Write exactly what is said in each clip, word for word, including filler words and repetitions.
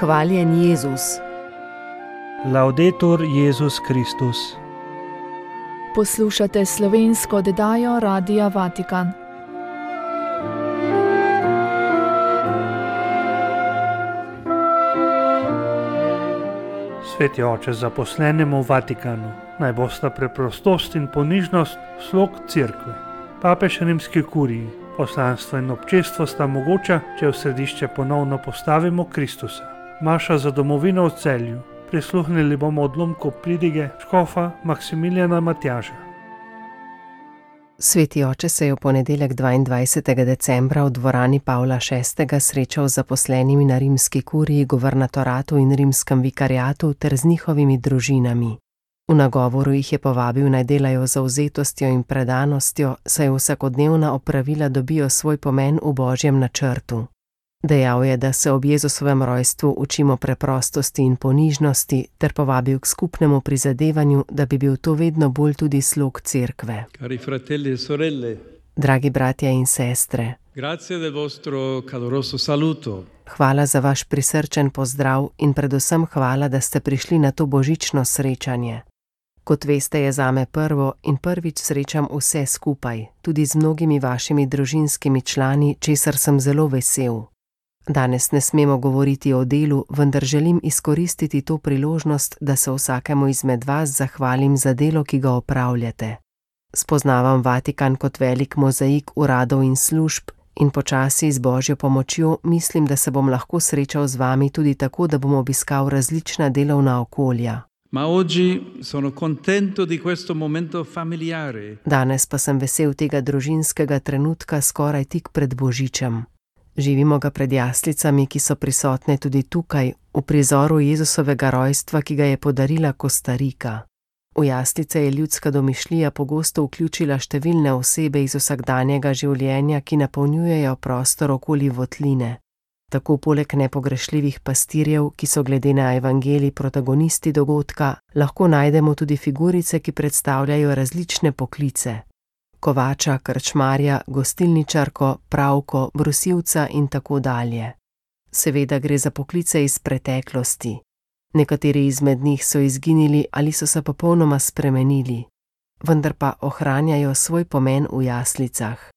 Hvaljen Jezus. Laudetur Jezus Kristus. Poslušate slovensko oddajo Radia Vatikan. Sveti oče, zaposlenemu v Vatikanu, naj bosta preprostost in ponižnost slog cerkve. Papež rimski kuriji, poslanstvo in občestvo sta mogoča, če v središče ponovno postavimo Kristusa. Maša za domovino v Celju. Prisluhnili bomo odlomku pridige škofa Maksimilijana Matjaža. Sveti oče se je v ponedeljek dvaindvajsetega decembra v dvorani Pavla šestega srečal z zaposlenimi na rimski kuriji, guvernatoratu in rimskem vikariatu ter z njihovimi družinami. V nagovoru jih je povabil, naj delajo z zavzetostjo in predanostjo, saj vsakodnevna opravila dobijo svoj pomen v Božjem načrtu. Dejal je, da se ob Jezusovem rojstvu učimo preprostosti in ponižnosti, ter povabil k skupnemu prizadevanju, da bi bil to vedno bolj tudi slog cerkve. Cari fratelli e sorelle, Dragi bratje in sestre, grazie del vostro caloroso saluto. hvala za vaš prisrčen pozdrav in predvsem hvala, da ste prišli na to božično srečanje. Kot veste, je zame prvo in prvič srečam vse skupaj, tudi z mnogimi vašimi družinskimi člani, česar sem zelo vesel. Danes ne smemo govoriti o delu, vendar želim izkoristiti to priložnost, da se vsakemu izmed vas zahvalim za delo, ki ga opravljate. Spoznavam Vatikan kot velik mozaik uradov in služb in počasi z Božjo pomočjo mislim, da se bom lahko srečal z vami tudi tako, da bom obiskal različna delovna okolja. Ma oggi sono contento di questo momento familiare. Danes pa sem vesel tega družinskega trenutka skoraj tik pred Božičem. Živimo ga pred jaslicami, ki so prisotne tudi tukaj, v prizoru Jezusovega rojstva, ki ga je podarila Kostarika. V jaslice je ljudska domišljija pogosto vključila številne osebe iz vsakdanjega življenja, ki napolnjujejo prostor okoli votline. Tako poleg nepogrešljivih pastirjev, ki so glede na evangelij protagonisti dogodka, lahko najdemo tudi figurice, ki predstavljajo različne poklice. Kovača, krčmarja, gostilničarko, pravko, brusilca in tako dalje. Seveda gre za poklice iz preteklosti. Nekateri izmed njih so izginili ali so se popolnoma spremenili, vendar pa ohranjajo svoj pomen v jaslicah.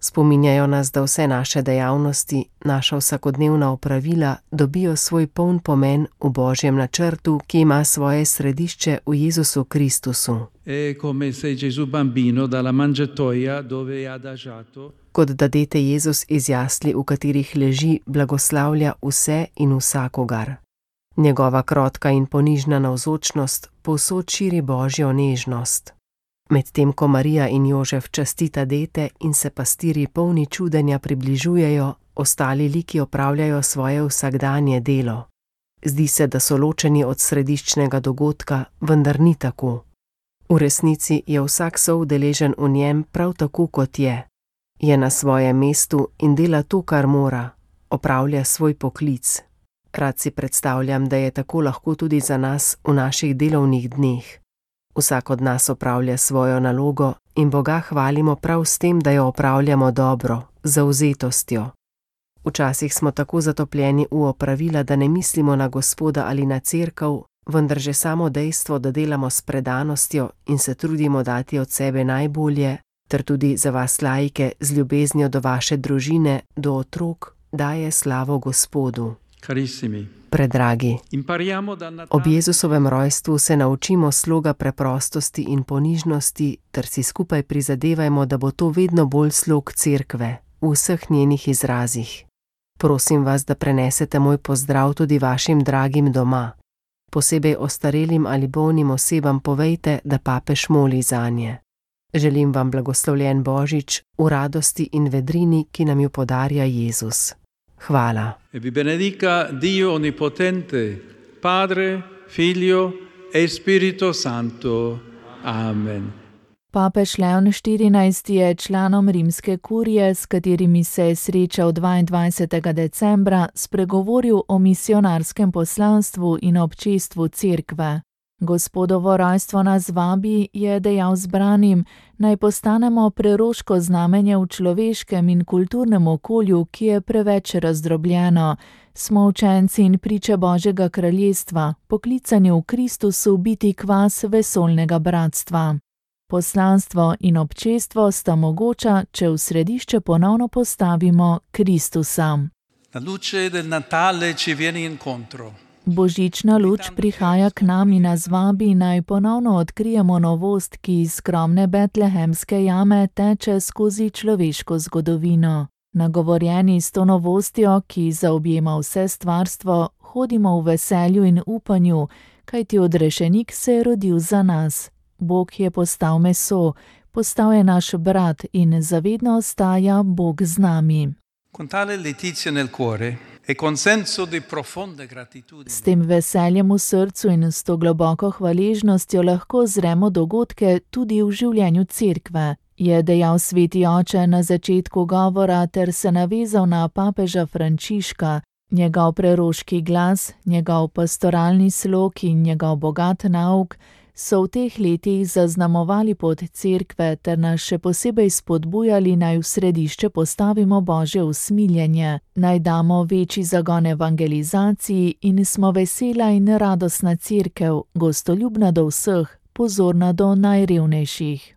Spominjajo nas, da vse naše dejavnosti, naša vsakodnevna opravila dobijo svoj poln pomen v Božjem načrtu, ki ima svoje središče v Jezusu Kristusu. È come se Gesù bambino dalla mangiatoia dove è adagiato Kot da dete Jezus iz jasli, v katerih leži, blagoslavlja vse in vsakogar. Njegova krotka in ponižna navzočnost povsod širi Božjo nežnost. Medtem ko Marija in Jožef častita dete in se pastirji polni čudenja približujejo, ostali liki opravljajo svoje vsakdanje delo. Zdi se, da so ločeni od središčnega dogodka, vendar ni tako. V resnici je vsak soudeležen v njem prav tako, kot je. Je na svojem mestu in dela to, kar mora, opravlja svoj poklic. Rad si predstavljam, da je tako lahko tudi za nas v naših delovnih dneh. Vsak od nas opravlja svojo nalogo in Boga hvalimo prav s tem, da jo opravljamo dobro, z zavzetostjo. Včasih smo tako zatopljeni v opravila, da ne mislimo na Gospoda ali na cerkev, vendar že samo dejstvo, da delamo s predanostjo in se trudimo dati od sebe najbolje, ter tudi za vas laike z ljubeznijo do vaše družine, do otrok, daje slavo Gospodu. Carissimi, Predragi, impariamo da Natale ob Jezusovem rojstvu se naučimo sloga preprostosti in ponižnosti, ter si skupaj prizadevajmo, da bo to vedno bolj slog cerkve, v vseh njenih izrazih. Prosim vas, da prenesete moj pozdrav tudi vašim dragim doma. Posebej ostarelim ali bolnim osebam povejte, da papež moli zanje. Želim vam blagoslovljen Božič v radosti in vedrini, ki nam jo podarja Jezus. Hvala. e vi benedica Dio Onnipotente, Padre, Figlio e Spirito Santo. Amen. Papež Leon štirinajsti je članom rimske kurije, s katerimi se je srečal dvaindvajsetega decembra, spregovoril o misionarskem poslanstvu in občestvu cerkve. Gospodovo rojstvo nas vabi, je dejal zbranim, naj postanemo preroško znamenje v človeškem in kulturnem okolju, ki je preveč razdrobljeno. Smo učenci in priče Božjega kraljestva, poklicani v Kristusu biti kvas vesoljnega bratstva. Poslanstvo in občestvo sta mogoča, če v središče ponovno postavimo Kristusa. La luce del Natale ci viene incontro. Božična luč prihaja k nam in nas vabi, naj ponovno odkrijemo novost, ki iz skromne betlehemske jame teče skozi človeško zgodovino. Nagovorjeni s to novostjo, ki zaobjema vse stvarstvo, hodimo v veselju in upanju, kajti odrešenik se je rodil za nas. Bog je postal meso, postal je naš brat in zavedno ostaja Bog z nami. Con tale letizia nel cuore e con senso di profonda gratitudine. S tem veseljem v srcu in s to globoko hvaležnostjo lahko zremo dogodke tudi v življenju cerkve, je dejal sveti oče na začetku govora ter se navezal na papeža Frančiška. Njegov preroški glas, njegov pastoralni slog in njegov bogat nauk so v teh letih zaznamovali pot cerkve ter nas še posebej spodbujali, naj v središče postavimo Božje usmiljenje, naj damo večji zagon evangelizaciji in smo vesela in radosna cerkev, gostoljubna do vseh, pozorna do najrevnejših.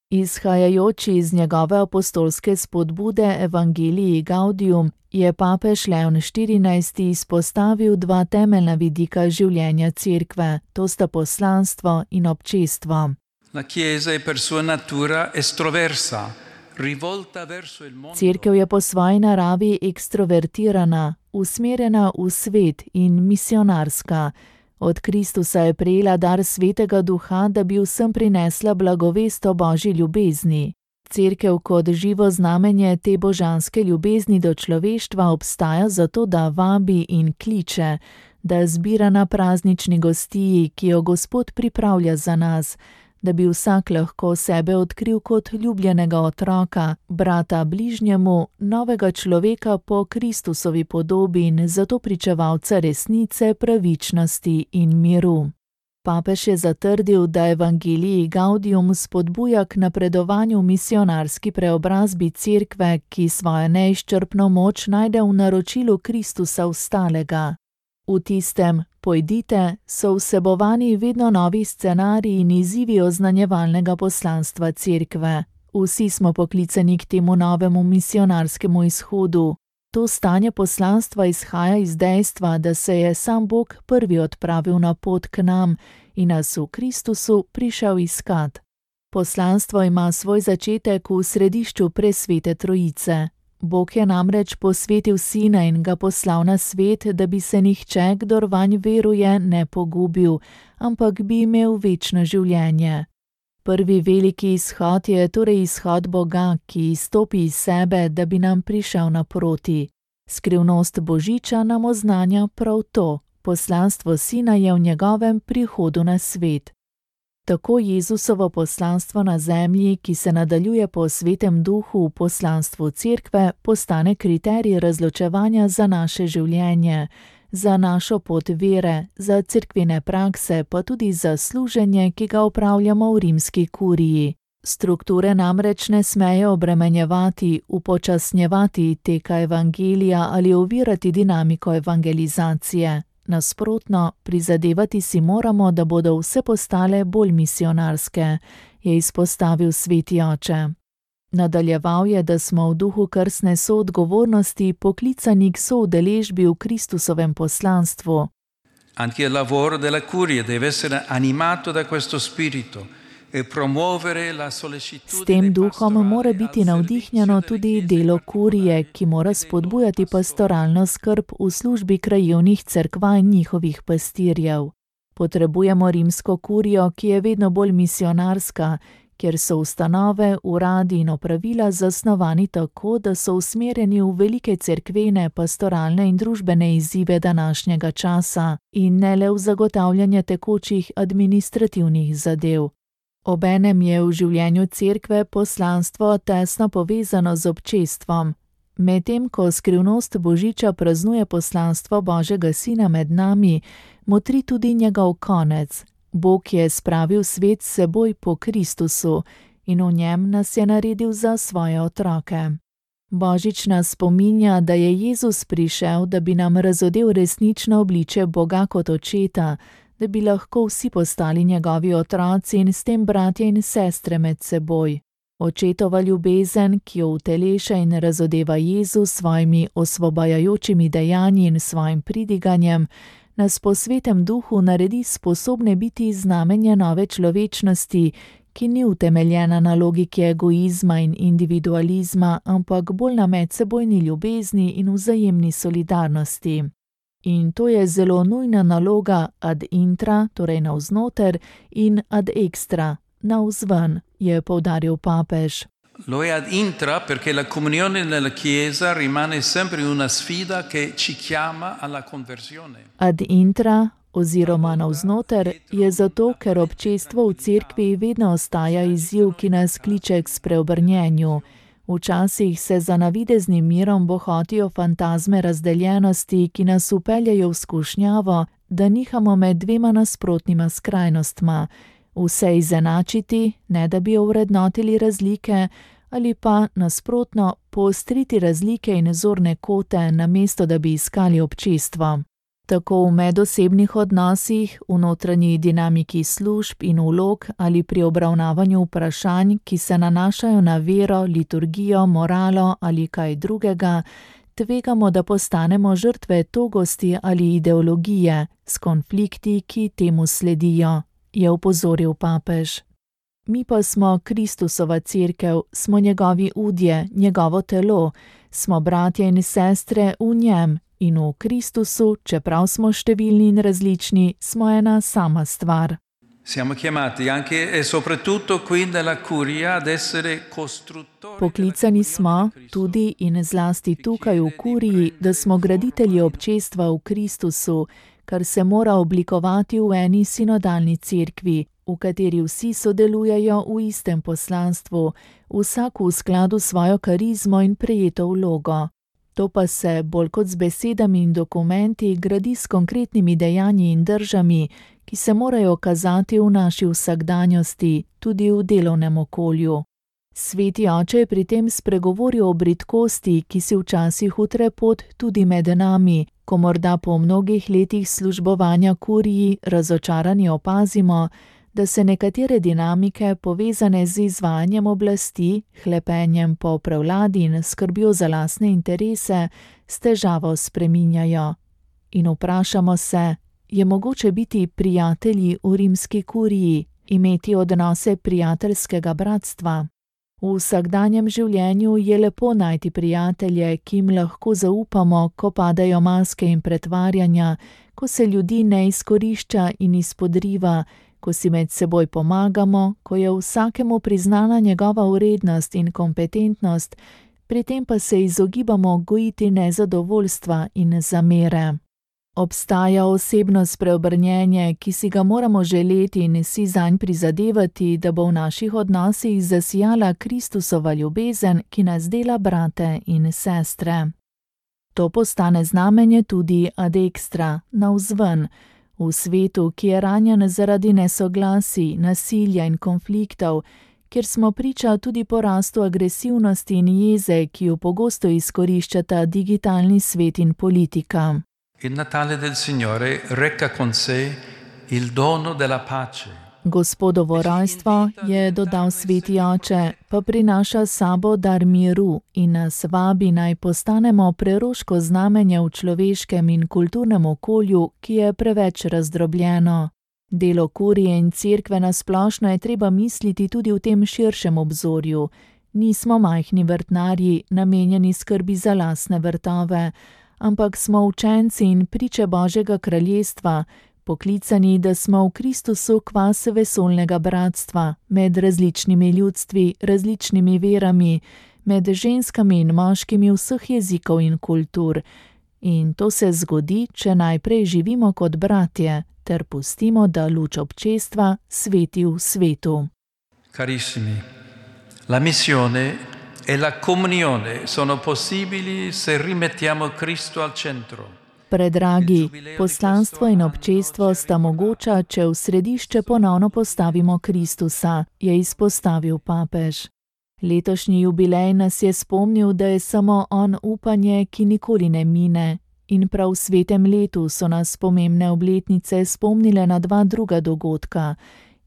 Izhajajoči iz njegove apostolske spodbude Evangelii Gaudium je papež Leon štirinajsti izpostavil dva temeljna vidika življenja cerkve, to sta poslanstvo in občestvo. La Chiesa è per sua natura estroversa, rivolta verso il mondo. Cerkev je po svoji naravi ekstrovertirana, usmerjena v svet in misionarska. Od Kristusa je prejela dar Svetega Duha, da bi vsem prinesla blagovest o Božji ljubezni. Cerkev kot živo znamenje te božanske ljubezni do človeštva obstaja zato, da vabi in kliče, da zbira na praznični gostiji, ki jo Gospod pripravlja za nas, da bi vsak lahko sebe odkril kot ljubljenega otroka, brata bližnjemu, novega človeka po Kristusovi podobi in zato pričevalca resnice, pravičnosti in miru. Papež je zatrdil, da Evangelii Gaudium spodbuja k napredovanju v misionarski preobrazbi cerkve, ki svojo neizčrpno moč najde v naročilu Kristusa vstalega. V tistem pojdite so vsebovani vedno novi scenariji in izzivi oznanjevalnega poslanstva cerkve. Vsi smo poklicani k temu novemu misionarskemu izhodu. To stanje poslanstva izhaja iz dejstva, da se je sam Bog prvi odpravil na pot k nam in nas v Kristusu prišel iskat. Poslanstvo ima svoj začetek v središču presvete trojice. Bog je namreč posvetil Sina in ga poslal na svet, da bi se nihče, kdor vanj veruje, ne pogubil, ampak bi imel večno življenje. Prvi veliki izhod je torej izhod Boga, ki izstopi iz sebe, da bi nam prišel naproti. Skrivnost Božiča nam oznanja prav to. Poslanstvo Sina je v njegovem prihodu na svet. Tako Jezusovo poslanstvo na zemlji, ki se nadaljuje po Svetem Duhu v poslanstvu cerkve, postane kriterij razločevanja za naše življenje, za našo pot vere, za cerkvene prakse, pa tudi za služenje, ki ga opravljamo v rimski kuriji. Strukture namreč ne smejo obremenjevati, upočasnjevati teka evangelija ali ovirati dinamiko evangelizacije. Nasprotno, prizadevati si moramo, da bodo vse postale bolj misionarske, je izpostavil sveti oče. Nadaljeval je, da smo v duhu krstne soodgovornosti poklicani k soudeležbi v Kristusovem poslanstvu. Anche il lavoro della curia deve essere animato da questo spirito. S tem duhom mora biti navdihnjeno tudi delo kurije, ki mora spodbujati pastoralno skrb v službi krajevnih cerkva in njihovih pastirjev. Potrebujemo rimsko kurijo, ki je vedno bolj misionarska, kjer so ustanove, uradi in opravila zasnovani tako, da so usmerjeni v velike cerkvene, pastoralne in družbene izzive današnjega časa in ne le v zagotavljanje tekočih administrativnih zadev. Obenem je v življenju cerkve poslanstvo tesno povezano z občestvom. Medtem ko skrivnost Božiča praznuje poslanstvo Božjega Sina med nami, motri tudi njegov konec. Bog je spravil svet s seboj po Kristusu in v njem nas je naredil za svoje otroke. Božič nas spominja, da je Jezus prišel, da bi nam razodel resnično obličje Boga kot očeta, da bi lahko vsi postali njegovi otroci in s tem bratje in sestre med seboj. Očetova ljubezen, ki jo uteleša in razodeva Jezus s svojimi osvobajajočimi dejanji in svojim pridiganjem, nas po svetem duhu naredi sposobne biti znamenje nove človečnosti, ki ni utemeljena na logiki egoizma in individualizma, ampak bolj na medsebojni ljubezni in vzajemni solidarnosti. In to je zelo nujna naloga ad intra, torej navznoter, in ad extra, navzven, je poudaril papež. Lo è ad intra perché la comunione nella Chiesa rimane sempre una sfida che ci chiama alla conversione. Ad intra oziroma navznoter je zato, ker občestvo v cerkvi vedno ostaja izziv, ki nas kliče k spreobrnjenju. Včasih se za navideznim mirom bohotijo fantazme razdeljenosti, ki nas upeljajo v skušnjavo, da nihamo med dvema nasprotnima skrajnostma. Vse izenačiti, ne da bi ovrednotili razlike, ali pa nasprotno poostriti razlike in zorne kote, namesto da bi iskali občestvo. Tako v medosebnih odnosih, v notranji dinamiki služb in vlog ali pri obravnavanju vprašanj, ki se nanašajo na vero, liturgijo, moralo ali kaj drugega, tvegamo, da postanemo žrtve togosti ali ideologije s konflikti, ki temu sledijo, je opozoril papež. Mi pa smo Kristusova cerkev, smo njegovi udje, njegovo telo, smo bratje in sestre v njem in v Kristusu, čeprav smo številni in različni, smo ena sama stvar. Siamo chiamati anche e soprattutto qui nella curia ad essere costruttori. Poklicani smo tudi in zlasti tukaj v kuriji, da smo graditelji občestva v Kristusu, kar se mora oblikovati v eni sinodalni cerkvi, v kateri vsi sodelujejo v istem poslanstvu, vsak v skladu s svojo karizmo in prejeto vlogo. To pa se, bolj kot z besedami in dokumenti, gradi s konkretnimi dejanji in držami, ki se morajo kazati v naši vsakdanjosti, tudi v delovnem okolju. Sveti oče je pri tem spregovoril o bridkosti, ki si včasih utre pot tudi med nami, ko morda po mnogih letih službovanja kuriji razočarani opazimo, da se nekatere dinamike, povezane z izvajanjem oblasti, hlepenjem po prevladi in skrbjo za lastne interese, s težavo spreminjajo. In vprašamo se, je mogoče biti prijatelji v rimski kuriji, imeti odnose prijateljskega bratstva? V vsakdanjem življenju je lepo najti prijatelje, ki jim lahko zaupamo, ko padajo maske in pretvarjanja, ko se ljudi ne izkorišča in izpodriva, ko si med seboj pomagamo, ko je vsakemu priznana njegova vrednost in kompetentnost, pri tem pa se izogibamo gojiti nezadovoljstva in zamere. Obstaja osebno spreobrnjenje, ki si ga moramo želeti in si zanj prizadevati, da bo v naših odnosih zasijala Kristusova ljubezen, ki nas dela brate in sestre. To postane znamenje tudi ad extra, navzven, v svetu, ki je ranjen zaradi nesoglasij, nasilja in konfliktov, kjer smo priča tudi porastu agresivnosti in jeze, ki jo pogosto izkoriščata digitalni svet in politika. Il Natale del Signore reca con sé il dono della pace. Gospodovo rojstvo, je dodal sveti oče, pa prinaša s sabo dar miru in nas vabi naj postanemo preroško znamenje v človeškem in kulturnem okolju, ki je preveč razdrobljeno. Delo kurije in cerkve na splošno je treba misliti tudi v tem širšem obzorju. Nismo majhni vrtnarji, namenjeni skrbi za lastne vrtove, ampak smo učenci in priče Božjega kraljestva, poklicani, da smo v Kristusu kvas vesoljnega bratstva, med različnimi ljudstvi, različnimi verami, med ženskami in moškimi vseh jezikov in kultur. In to se zgodi, če najprej živimo kot bratje, ter pustimo, da luč občestva sveti v svetu. Carissimi, la missione e la comunione sono possibili se rimettiamo Cristo al centro. Predragi, poslanstvo in občestvo sta mogoča, če v središče ponovno postavimo Kristusa, je izpostavil papež. Letošnji jubilej nas je spomnil, da je samo on upanje, ki nikoli ne mine. In prav v svetem letu so nas pomembne obletnice spomnile na dva druga dogodka.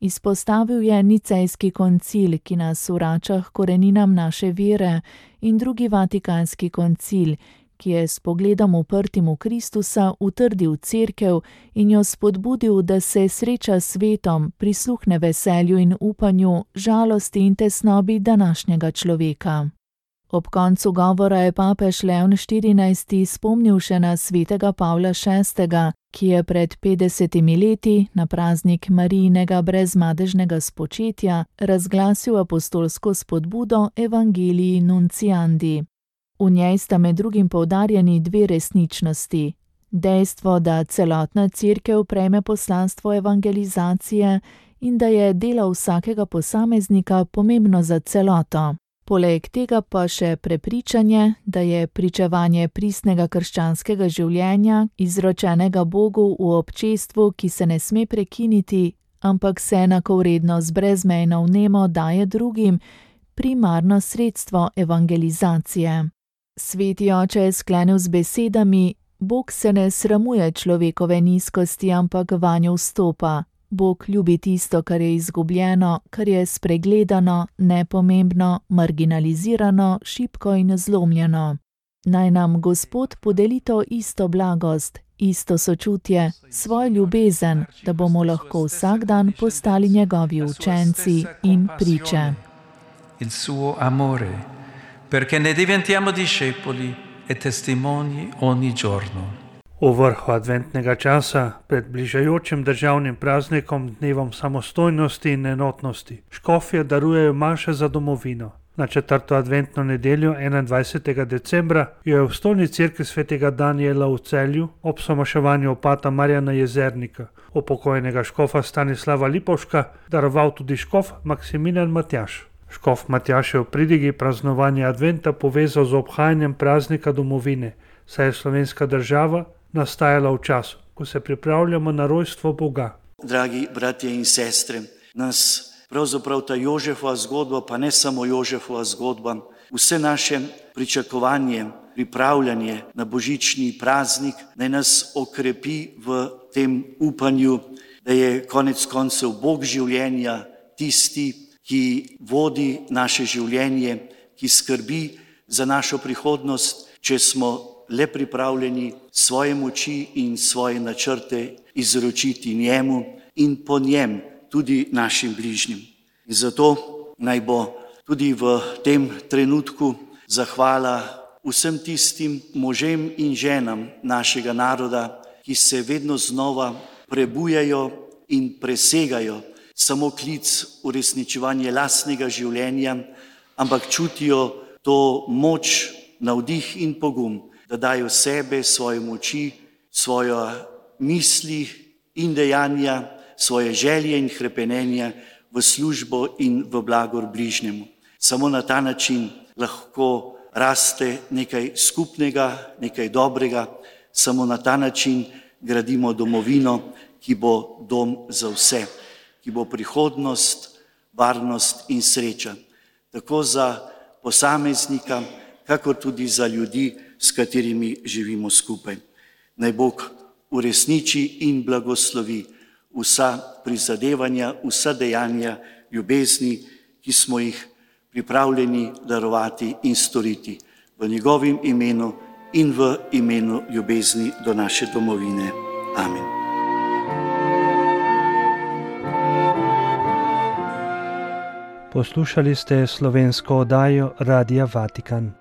Izpostavil je Nicejski koncil, ki nas vrača k koreninam naše vere, in drugi Vatikanski koncil, ki je s pogledom uprtim v Kristusa utrdil cerkev in jo spodbudil, da se sreča s svetom, prisluhne veselju in upanju, žalosti in tesnobi današnjega človeka. Ob koncu govora je papež Leon štirinajsti spomnil še na svetega Pavla šestega, ki je pred petdesetimi leti, na praznik Marijinega brezmadežnega spočetja, razglasil apostolsko spodbudo Evangelii Nunciandi. V njej sta med drugim poudarjeni dve resničnosti. Dejstvo, da celotna cerkev prejme poslanstvo evangelizacije in da je delo vsakega posameznika pomembno za celoto. Poleg tega pa še prepričanje, da je pričevanje pristnega krščanskega življenja, izročenega Bogu v občestvu, ki se ne sme prekiniti, ampak se enakovredno z brezmejno vnemo daje drugim, primarno sredstvo evangelizacije. Sveti oče je sklenil z besedami: Bog se ne sramuje človekove nizkosti, ampak vanjo vstopa. Bog ljubi tisto, kar je izgubljeno, kar je spregledano, nepomembno, marginalizirano, šibko in zlomljeno. Naj nam Gospod podeli to isto blagost, isto sočutje, svojo ljubezen, da bomo lahko vsak dan postali njegovi učenci in priče. Il suo amore, perché ne diventiamo discepoli e testimoni ogni giorno. V vrhu adventnega časa, pred bližajočim državnim praznikom, dnevom samostojnosti in enotnosti, škofje darujejo maše za domovino. Na četrto adventno nedeljo, enaindvajsetega decembra, jo je v stolni cerkvi svetega Danijela v Celju ob somaševanju opata Marjana Jezernika, upokojenega škofa Stanislava Lipovška, daroval tudi škof Maksimilijan Matjaž. Škof Matjaž je v pridigi praznovanja adventa povezal z obhajanjem praznika domovine, saj je slovenska država nastajala v času, ko se pripravljamo na rojstvo Boga. Dragi bratje in sestre, nas pravzaprav ta Jožefova zgodba, pa ne samo Jožefova zgodba, vse naše pričakovanje, pripravljanje na božični praznik, naj nas okrepi v tem upanju, da je konec koncev Bog življenja tisti, ki vodi naše življenje, ki skrbi za našo prihodnost, če smo le pripravljeni svoje moči in svoje načrte izročiti njemu in po njem tudi našim bližnjim. In zato naj bo tudi v tem trenutku zahvala vsem tistim možem in ženam našega naroda, ki se vedno znova prebujajo in presegajo samo klic uresničevanja lastnega življenja, ampak čutijo to moč, navdih in pogum, da dajo sebe, svoje moči, svoje misli in dejanja, svoje želje in hrepenenja v službo in v blagor bližnjemu. Samo na ta način lahko raste nekaj skupnega, nekaj dobrega, samo na ta način gradimo domovino, ki bo dom za vse, ki bo prihodnost, varnost in sreča, tako za posameznika, kakor tudi za ljudi, s katerimi živimo skupaj. Naj Bog uresniči in blagoslovi vsa prizadevanja, vsa dejanja ljubezni, ki smo jih pripravljeni darovati in storiti v njegovem imenu in v imenu ljubezni do naše domovine. Amen. Poslušali ste slovensko oddajo Radia Vatikan.